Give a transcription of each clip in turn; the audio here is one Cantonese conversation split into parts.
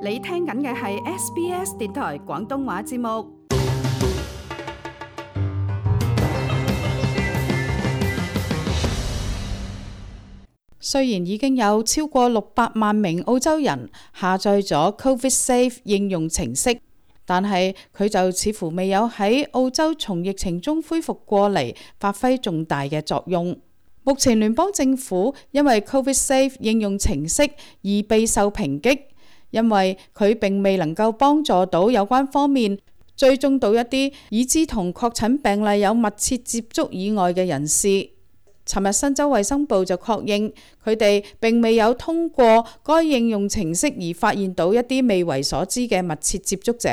你聽緊嘅係 SBS 電台廣東話節目。雖然已經有超過600萬名澳洲人下載咗 Covid Safe 應用程式，但係佢就似乎未有喺澳洲從疫情中恢復過嚟，發揮重大嘅作用。目前聯邦政府因為 Covid Safe 應用程式而備受抨擊，因為佢並未能夠幫助到有關方面追蹤到一啲已知同確診病例有密切接觸以外嘅人士。尋日新州衛生部就確認，佢哋並未有通過該應用程式而發現到一啲未為所知嘅密切接觸者。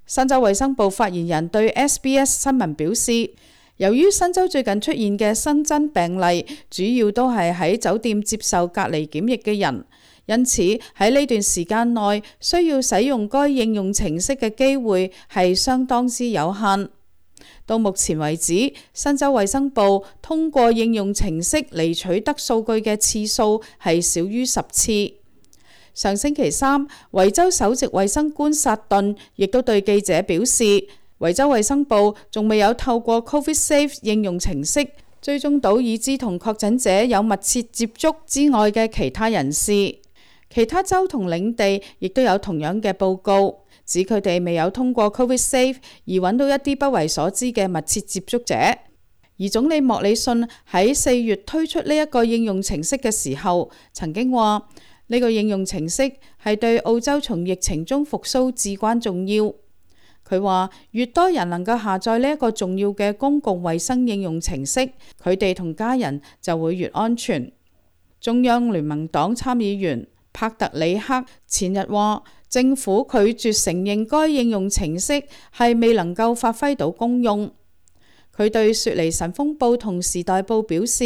新州衛生部發言人對 SBS 新聞表示，由於新州最近出現嘅新增病例主要都係喺酒店接受隔離檢疫嘅人，因此喺呢段時間內需要使用該應用程式嘅機會係相當之有限。到目前為止，新州衛生部通過應用程式嚟取得數據嘅次數係少於10次。上星期三，維州首席衛生官薩頓亦都對記者表示，維州衛生部仲未有透過 Covid Safe 應用程式追蹤到已知同確診者有密切接觸之外嘅其他人士。其他州同領地亦都有同樣嘅報告，指佢哋未有通過 Covid Safe 而揾到一啲不為所知嘅密切接觸者。而總理莫里遜喺4月推出呢一個應用程式嘅時候，曾經話呢個應用程式係對澳洲從疫情中復甦至關重要。佢話越多人能夠下載呢一個重要嘅公共衛生應用程式，佢哋同家人就會越安全。中央聯盟黨參議員帕特里克前日話，政府拒絕承認該應用程式係未能夠發揮到功用。佢對雪梨晨鋒報同時代報表示，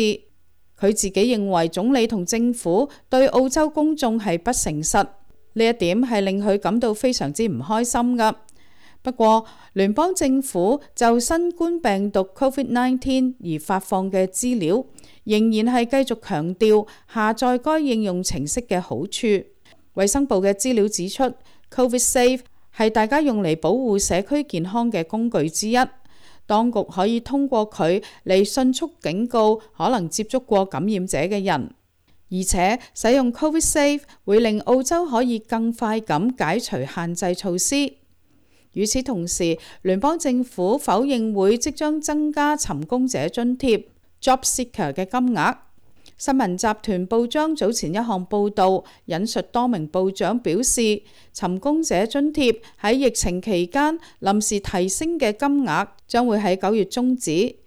佢自己認為總理同政府對澳洲公眾係不誠實，呢一點係令佢感到非常之唔開心㗎。不過，聯邦政府就新冠病毒 COVID-19 而發放嘅資料，仍然係繼續強調下載該應用程式嘅好處。衛生部嘅資料指出 ，Covid Safe 係大家用嚟保護社區健康嘅工具之一。當局可以通過佢嚟迅速警告可能接觸過感染者嘅人，而且使用 Covid Safe 會令澳洲可以更快咁解除限制措施。與此同時，聯邦政府否認會即將增加尋工者津貼 Job Seeker 嘅金額。新聞集團報章早前一項報導引述多名部長表示，尋工者津貼喺疫情期間臨時提升嘅金額將會喺9月終止。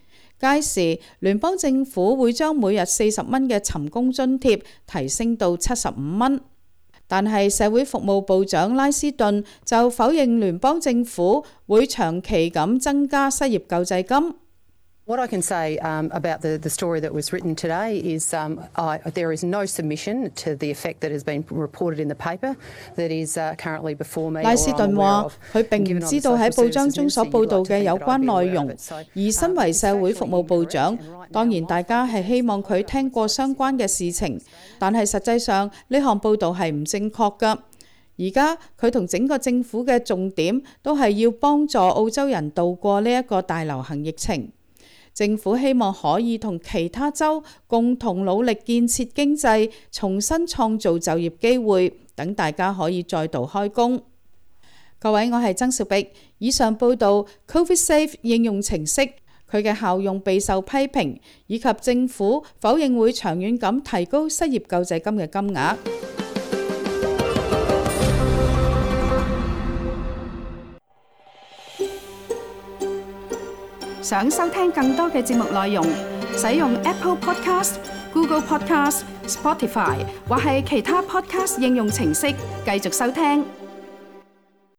屆時，聯邦政府會將每日40蚊嘅尋工津貼提升到75蚊。但係社會服務部長拉斯頓就否認聯邦政府會長期咁增加失業救濟金。What I can say about the story that was written today is there is no submission to the effect that has been reported in the paper that is currently before me. 拉斯頓話：佢並唔知道喺報章中所報導嘅有關內容，而身為社會服務部長，當然大家係希望佢聽過相關嘅事情，但係實際上呢項報導係唔正確㗎。而家佢同整個政府嘅重點都係要幫助澳洲人渡過呢一個大流行疫情。政府希望可以同其他州共同努力建設經濟，重新創造就業機會，等大家可以再度開工。各位，我係曾兆碧。以上報道 Covid Safe 應用程式佢嘅效用備受批評，以及政府否認會長遠咁提高失業救濟金嘅金額。想收聽更多嘅節目內容，使用 Apple Podcast、Google Podcast、Spotify 或係其他 Podcast 應用程式繼續收聽。